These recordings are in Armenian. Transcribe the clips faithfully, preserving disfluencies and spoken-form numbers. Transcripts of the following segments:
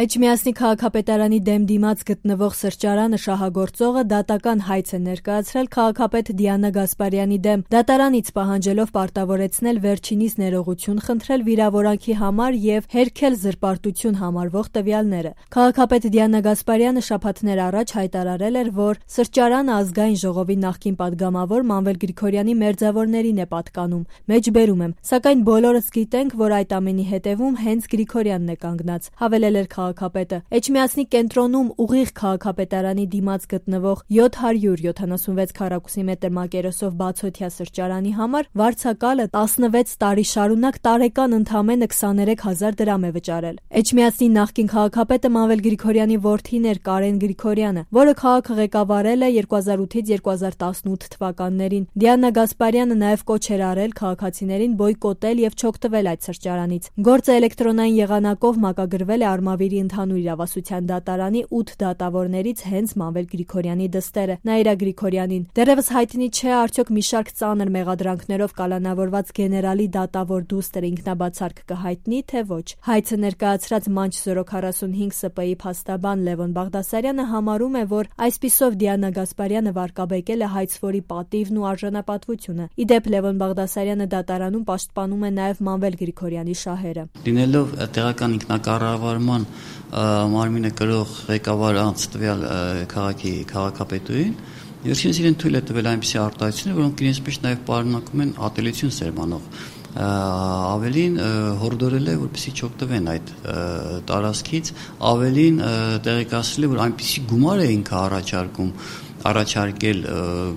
Էջմիածնի քաղաքապետարանի դեմ դիմաց գտնվող սրճարանը շահագործողը դատական հայց է ներկայացրել քաղաքապետ Դիանա Գասպարյանի դեմ, դատարանից պահանջելով պարտավորեցնել վերջինիս ներողություն խնդրել վիրավորանքի համար և հերքել զրպարտություն համարվող տվյալները։ Քաղաքապետ Դիանա Գասպարյանը շաբաթներ առաջ հայտարարել էր, որ սրճարանը ազգային ժողովի նախկին պատգամավոր Մանվել Գրիգորյանի մերձավորներին է պատկանում։ Մեջբերում եմ, սակայն բոլորս գիտենք, որ այդ ամենի հետևում հենց Գրիգորյանն է կանգնած, հավելել էր քաղաքապետը։ Էջմիածնի կենտրոնում ուղիղ քաղաքապետարանի դիմաց գտնվող յոթ հարյուր յոթանասունվեց քառակուսի մետր մակերեսով բացօթյա սրճարանի համար վարձակալը տասնվեց տարի շարունակ տարեկան ընդամենը քսաներեք հազար դրամ է վճարել։ Էջմիածնի նախկին քաղաքապետը Մանվել Գրիգորյանի որդին էր Կարեն Գրիգորյանը, որը քաղաքը ղեկավարել է երկու հազար ութից երկու հազար տասնութ թվականներին։ Դիանա Գասպարյանը նաև կոչ էր արել քաղաքացիներին բոյկոտել և չօգտվել այդ սրճարանից։ Գործը էլեկտրոնային եղանակով մակագրվել է Արմավիրի ընդհանուր իրավասության դատարանի ութ դատավորներից հենց Մանվել Գրիգորյանի դստերը։ Նաիրա Գրիգորյանին դեռևս հայտնի չէ, արդյոք մի շարք ծանր մեղադրանքներով կալանավորված գեներալի դատավոր դուստրը ինքնաբացարկ կհայտնի, թե ոչ։ Հայցը ներկայացրած Մանչ զորո քառասունհինգ ՍՊ-ի փաստաբան Լևոն Բաղդասարյանը համարում է, որ այսպիսով Դիանա Գասպարյանը վարկաբեկել է հայցվորի պատիվն ու արժանապատվությունը։ Ի դեպ, Լևոն Բաղդասարյանը դատարանում պաշտպանում է նաև Մանվել Գրիգորյանի շահերը։ Լինելով տեղական ինքնակառավարման մարմինը կրող ղեկավար անց տվյալ քաղաքի քաղաքապետուին, վերջինս իրեն թույլ է տվել այնպիսի արտահայտություններ, որոնք իրենց մեջ նաև պարունակում են ատելություն սերմանող, ավելին հորդորել է, որպեսզի չօգտվեն այդ տարածքից, ավելին տեղեկացրել է, որ այնպիսի գումար է ինքը առաջարկում առաջարկել,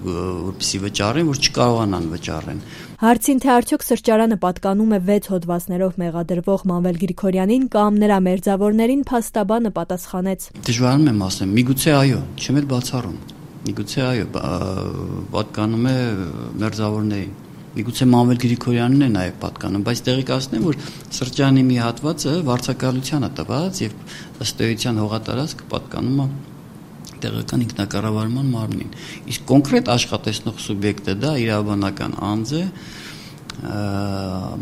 որպեսզի վճարեն, որ չկարողանան վճարեն։ Հարցին, թե արդյոք սրճարանը պատկանում է վեց հոդվածներով մեղադրվող Մանվել Գրիգորյանին կամ նրա մերձավորներին, փաստաբանը պատասխանեց. Դժվարանում եմ ասեմ, միգուցե այո, չեմ էլ բացառում, միգուցե այո, պատկանում է մերձավորներին, միգուցե Մանվել Գրիգորյանին է նաև պատկանում, բայց տեղեկացնեմ, որ սրճարանի մի հատվածը վարձակալությանը տված և ըստ էության հողատարածքը պատկանում է տեղական ինքնակառավարման մարմնին։ Իսկ կոնկրետ աշխատեցնող սուբյեկտը դա իրավաբանական անձ է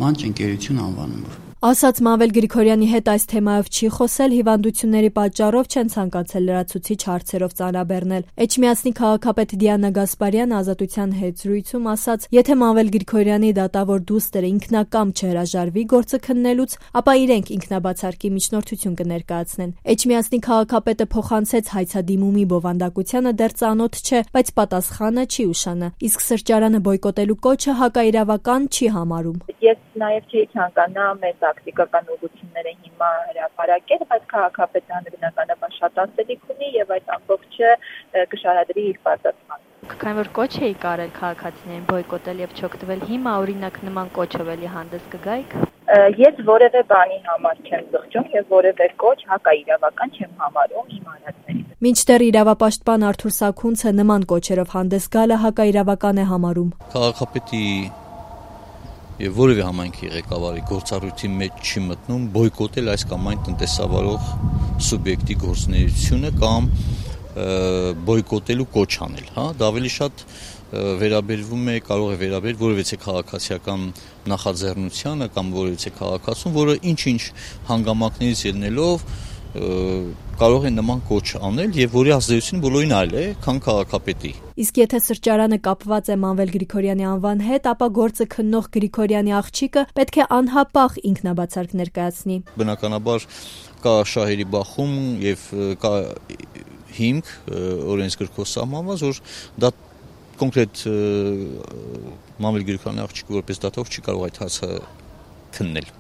Մանչ ընկերություն անվանումով։ Ասաց Մանվել Գրիգորյանի հետ այս թեմայով չի խոսել, հիվանդությունների պատճառով չեն ցանկացել լրացուցիչ հարցերով ծանրաբեռնել։ Էջմիածնի քաղաքապետ Դիանա Գասպարյանը Ազատության հետ զրույցում ասաց, եթե Մանվել Գրիգորյանի դատավոր դուստրը ինքնակամ չհրաժարվի գործը քննելուց, ապա իրենք ինքնաբացարկի միջնորդություն կներկայացնեն։ Էջմիածնի քաղաքապետը փոխանցեց հայցադիմումի բովանդակությանը դեռ ծանոթ չէ, բայց պատասխանը չի ուշանա։ Իսկ սրճարանը բոյկոտելու կոչը հակաիրավական չի համարում։ Ես նաև չի ցանկանա մեծ տակտիկական ուղղությունները հիմա հրապարակել, բայց քաղաքապետարանը բնականաբար շատ ասելիք ունի եւ այդ ամբողջը կշարադրի իր պարտադրանքը։ Քանի որ կոչ էի կարել քաղաքացիներին բոյկոտել եւ չօգտվել, հիմա օրինակ նման կոչով էլի հանդես կգայիք։ Ես որևէ բանի համար չեմ զղջում եւ որևէ կոչ հակաիրավական չեմ համարում իմ արածներին։ Մինչդեռ իրավապաշտպան Արթուր Սաքունցը նման կոչերով հանդես գալը հակաիրավական է համարում։ Քաղաքապետի եւ որևէ համայնքի ղեկավարի գործառույթի մեջ չի մտնում բոյկոտել այս կամ այն տնտեսավարող սուբյեկտի գործունեությունը կամ բոյկոտելու կոչ անել, հա, դա ավելի շատ վերաբերվում է, կարող է վերաբերել որևէ քաղաքացիական նախաձեռնությանը կամ որևէ քաղաքացուն, որը ինչ-ինչ հանգամանքներից ելնելով կարող է նման կոչ անել եւ որի ազդեցությունը բոլորին այլ է, քան քաղաքապետի։ Իսկ եթե սրճարանը կապված է Մանվել Գրիգորյանի անվան հետ, ապա գործը քննող Գրիգորյանի աղջիկը պետք է անհապաղ ինքնաբացարկ ներկայացնի։ Բնականաբար կա շահերի բախում եւ կա հիմք օրենսգրքով սահմանված, որ դա կոնկրետ Մանվել Գրիգորյանի աղջիկը որպես դատող չի կարող այդ հարցը քննել։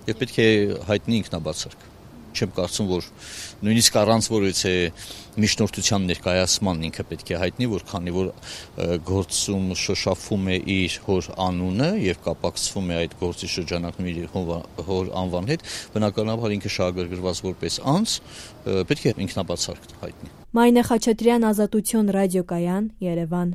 Եվ պետք է հայտնի ինքնաբացարկ։ Չեմ կարծում, որ նույնիսկ առանց որևէ միջնորդության ներկայացման ինքը պետք է հայտնի, որ քանի որ գործում շոշափում է իր հոր անունը եւ կապակցվում է այդ գործի շրջանակում իր հոր անվան հետ, բնականաբար ինքը շահագրգռված որպես անձ պետք է ինքնաբացարկ հայտնի։ Մայնե Խաչատրյան, Ազատություն ռադիոկայան, Երևան։